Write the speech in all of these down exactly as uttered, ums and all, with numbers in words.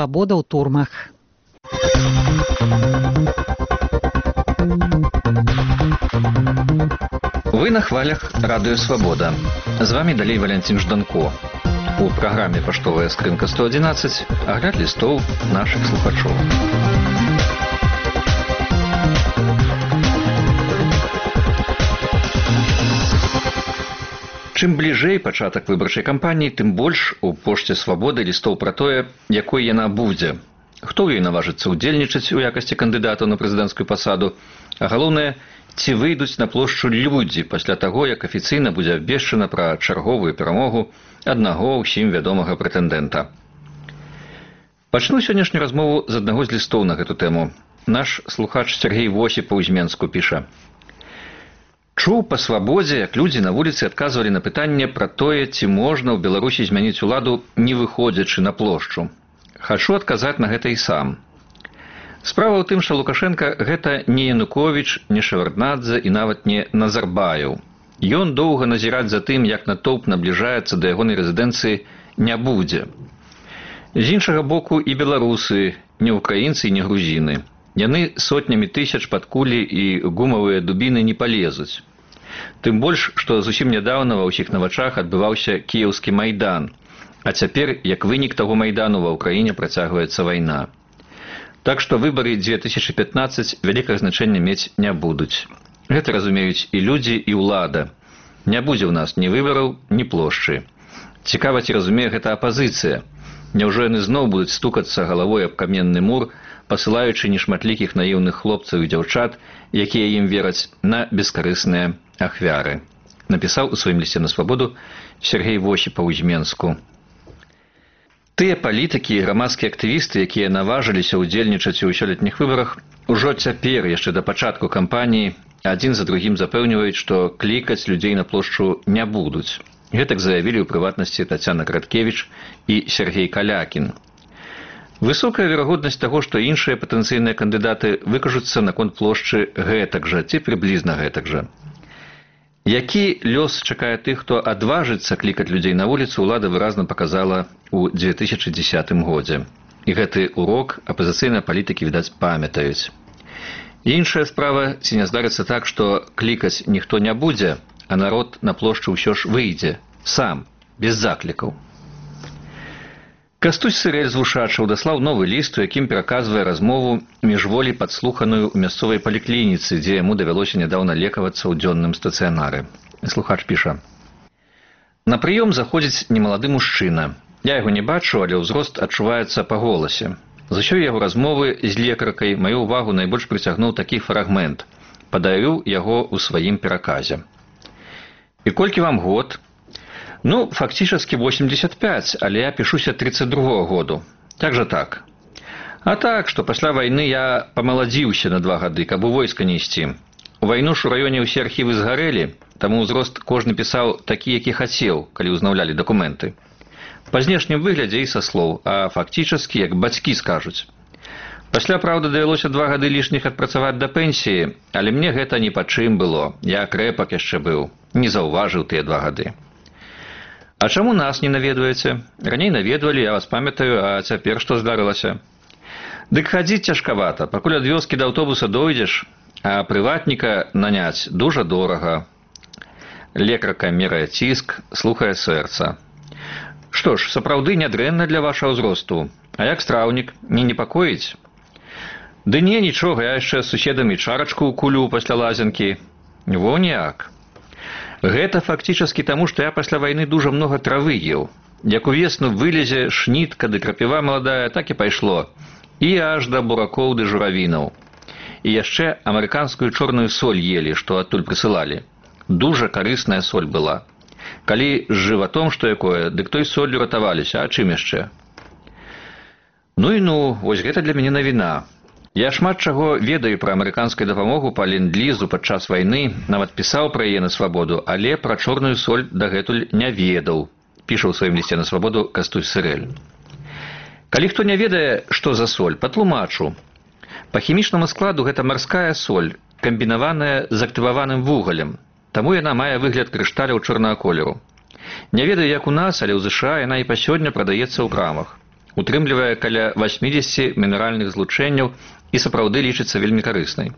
Свабода ў турмах. Вы на хвалях радыё «Свабода». З вами далей Валянцін Жданко. У праграме «Паштовая скрынка сто адзінаццаць» агляд лістоў нашых слухачоў. Чым бліжэй пачатак выбарчай кампаніі, тым больш у пошце «Свабоды» лістоў пра тое, якой яна будзе. Хто ў ёй наважыцца ўдзельнічаць у якасці кандыдата на прэзідэнцкую пасаду, а галоўнае, ці выйдуць на плошчу людзі пасля таго, як афіцыйна будзе абвешчана пра чарговую перамогу аднаго ўсім вядомага прэтэндэнта. Пачну сённяшнюю размову з аднаго з лістоў на гэту тэму. Наш слухач Сергей Восіпаў з Менску піша: «Чуў па «Свабодзе», як людзі на вуліцы адказвалі на пытанне пра тое, ці можна ў Беларусі змяніць уладу, не выходзячы на плошчу. Хачу адказаць на гэта і сам. Справа ў тым, што Лукашенка гэта не Януковіч, не Шеварднадзе і нават не Назарбаеў. Ён доўга назіраць за тым, як натоўп набліжаецца да ягонай рэзідэнцыі, не будзе. З іншага боку, і беларусы, не украінцы і не грузіны. Яны сотнямі тысяч пад кулі і гумавыя дубіны не палезуць. Тым больш, што зусім нядаўна ва ўсіх на вачах адбываўся кіеўскі майдан, а цяпер, як вынік таго майдану, ва ўкраіне працягваецца вайна. Так што выбары дзве тысячы пятнаццаць вялікага значэння мець не будуць. Гэта разумеюць і людзі, і ўлада. Не будзе ў нас ні выбараў, ні плошчы. Цікава, ці разумее гэта апазіцыя. Няўжо яны зноў будуць стукацца галавой аб каменны мур, пасылаючы нешматлікіх наіўных хлопцаў і дзяўчат, якія ім вераць, на бескарысныя ахвяры. Напісаў у сваім лісце на «Свабоду» Сергей Восіпаў з Менску. Тыя палітыкі і грамадскія актывісты, якія наважыліся ўдзельнічаць у сёлетніх выбарах, ужо цяпер, яшчэ да пачатку кампаніі, адзін за другім запэўніваюць, што клікаць людзей на плошчу не будуць. Гэтак заявілі ў прыватнасці Тацяна Краткевіч і Сергей Калякін. Высокая верагоднасць таго, што іншыя патэнцыйныя кандыдаты выкажуцца наконт плошчы гэтак жа, ці прыблізна гэтак жа. Які лёс чакае тых, хто адважыцца клікаць людзей на вуліцу, ўлада выразна паказала ў дзве тысячы дзесятым годзе. І гэты урок апазіцыйныя палітыкі, відаць, памятаюць. Іншая справа, ці не здарыцца так, што клікаць ніхто не будзе, а народ на плошчу ўсё ж выйдзе, сам, без заклікаў. Кастусь Сырэль з Вушачаў даслаў новы ліст, у якім пераказвае размову міжволі падслуханую ў мясцовай паліклініцы, дзе яму давялося нядаўна лекавацца ў дзённым стацыянары. Слухач піша: «На прыём заходзіць немалады мужчына. Я яго не бачу, але ўзрост адчуваецца па голасе. З усёй яго размовы з лекаркай маю ўвагу найбольш прыцягнуў такі фрагмент. Падаю яго ў сваім пераказе. І колькі вам год? Ну, фактически восемьдесят пять, але я пішуся тридцать другого году. Как же так? А так, што пасля вайны я памаладзіўся на два гады, каб у войска не ісці. У вайну ж у раёне ўсе архівы згарэлі, таму ўзрост кожны пісаў такі, які хацеў, калі ўзнаўлялі дакументы. Па знешнім выглядзе і са слоў, а фактически, як бацькі скажуць. Пасля, праўда, давялося два гады лішніх адпрацаваць да пенсіі, але мне гэта ні па чым было. Я крэпак яшчэ быў, не заўважыў тыя два гады. А чаму нас не наведваеце? Раней наведвалі, я вас памятаю, а цяпер што здарылася? Дык хадзіць цяжкавата, пакуль ад вёскі да аўтобуса дойдзеш, а прыватніка наняць дужа дорага. Лекарка мерае ціск, слухае сэрца. Што ж, сапраўды нядрэнна для вашага ўзросту. А як страўнік, не непакоіць? Ды не, нічога, я яшчэ з суседамі чарачку кулю пасля лазенкі. Во ніяк. Гэта фактически таму, што я пасля вайны дужа многа травы еў. Як увесну вылезе шнітка ды крапіва маладая, так і пайшло. І аж да буракоў ды журавінаў. І яшчэ амерыканскую чорную соль ели, што адтуль прысылалі. Дужа карысная соль была. Калі з жыватом што якое, дык той соллю ратаваліся, а чым яшчэ? Ну і ну, вось гэта для мяне навіна. Я шмат чаго ведаю пра амерыканскую дапамогу па ленд-лізу падчас вайны, нават пісаў пра яе на «Свабоду», але пра чорную соль дагэтуль не ведаў, піша ў сваім лісце на «Свабоду» Кастусь Сырэль. Калі хто не ведае, што за соль, патлумачу. Па хімічнаму складу гэта марская соль, камбінаваная з актываваным вугалем, таму яна мае выгляд крышталяў чорнага колеру. Не ведаю, як у нас, але ў ЗША яна і па сёння прадаецца ў крамах. утрымлівае каля восьмидесяти мінеральных злучэнняў і сапраўды лічыцца вельмі карыснай.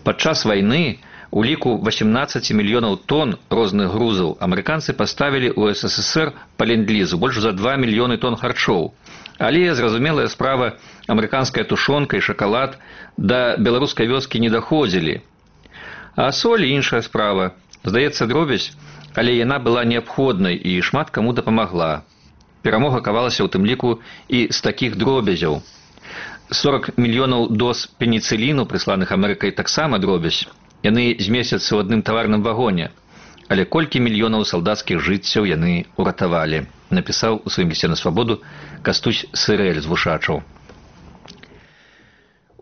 Падчас вайны у ліку восемнадцати мільёнаў тонн розных грузаў амерыканцы паставілі ў эс эс эс эр па ленд-лізу больш за два мільёны тонн харчоў. Але, зразумелая справа, амерыканская тушонка і шакалад да беларускай вёскі не даходзілі. А соль – іншая справа. Здаецца, дробязь, але яна была неабходнай і шмат каму дапамагла. Перамога кавалася ў тым ліку і з такіх дробязяў. сорок мільёнаў доз пеніцыліну, прысланых Амерыкай, таксама дробязь. Яны змесцяцца ў адным таварным вагоне. Але колькі мільёнаў салдацкіх жыццяў яны ўратавалі, напісаў у сваім лісце на свабоду Кастусь Сырэль з Вушачаў.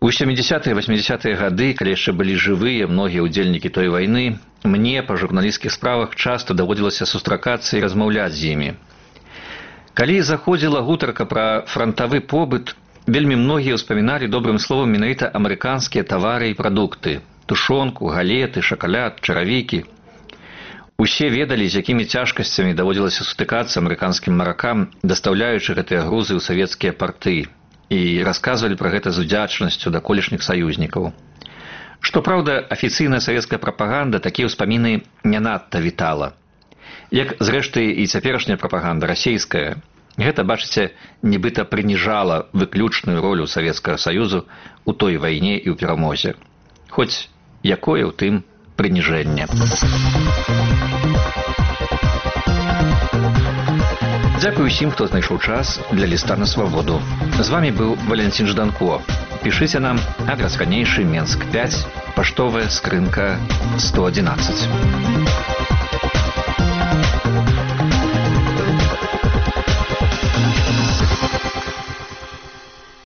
У сямідзясятыя і васьмідзясятыя гады, калі яшчэ былі жывыя многія ўдзельнікі той вайны, мне па журналісцкіх справах часта даводзілася сустракацца і размаўляць з імі. Калі заходзіла гутарка пра франтавы побыт, вельмі многія ўспаміналі добрым словам менавіта амерыканскія тавары і прадукты – тушонку, галеты, шакаляд, чаравікі. Усе ведалі, з якімі цяжкасцямі даводзілася сутыкацца амерыканскім маракам, дастаўляючы гэтыя грузы ў савецкія парты, і расказвалі пра гэта з удзячнасцю да колішніх саюзнікаў. Што праўда, афіцыйная савецкая прапаганда такія ўспаміны не надта вітала. Як, зрэшты, і цяперашняя прапаганда расейская, гэта, бачыце, нібыта прыніжала выключную ролю Савецкага Саюзу ў той вайне і ў перамозе. Хоць якое ў тым прыніжэнне. Дзякую ўсім, хто знайшоў час для ліста на свабоду. З вамі быў Валентин Жданко. Пішыце нам, адрас ранейшы, Менск пяць, паштовая скрынка сто адзінаццаць.